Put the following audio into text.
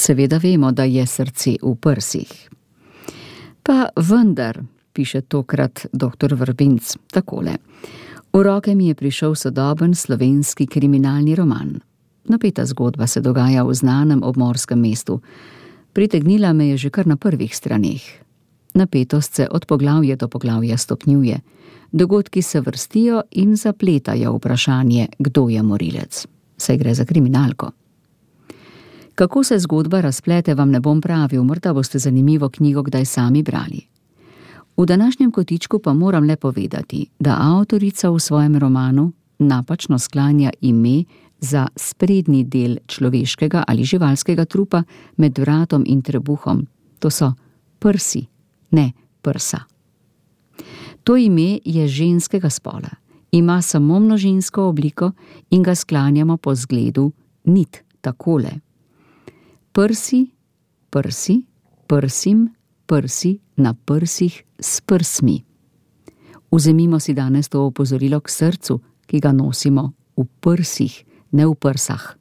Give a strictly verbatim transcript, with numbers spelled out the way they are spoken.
Seveda vemo, da je srce v prsih. Pa vendar, piše tokrat doktor Vrbinc takole. V roke mi je prišel sodoben slovenski kriminalni roman. Napeta zgodba se dogaja v znanem obmorskem mestu. Pritegnila me je že kar na prvih straneh. Napetost se od poglavja do poglavja stopnjuje. Dogodki se vrstijo in zapletajo vprašanje, kdo je morilec. Saj gre za kriminalko. Kako se zgodba razplete, vam ne bom pravil, morda boste zanimivo knjigo kdaj sami brali. V današnjem kotičku pa moram le povedati, da avtorica v svojem romanu napačno sklanja ime za sprednji del človeškega ali živalskega trupa med vratom in trebuhom. To so prsi, ne prsa. To ime je ženskega spola, ima samo množinsko obliko in ga sklanjamo po zgledu nit, takole. Prsi, prsi, prsim, prsi na prsih s prsmi. Vzemimo si danes to opozorilo k srcu, ki ga nosimo v prsih, ne v prsah.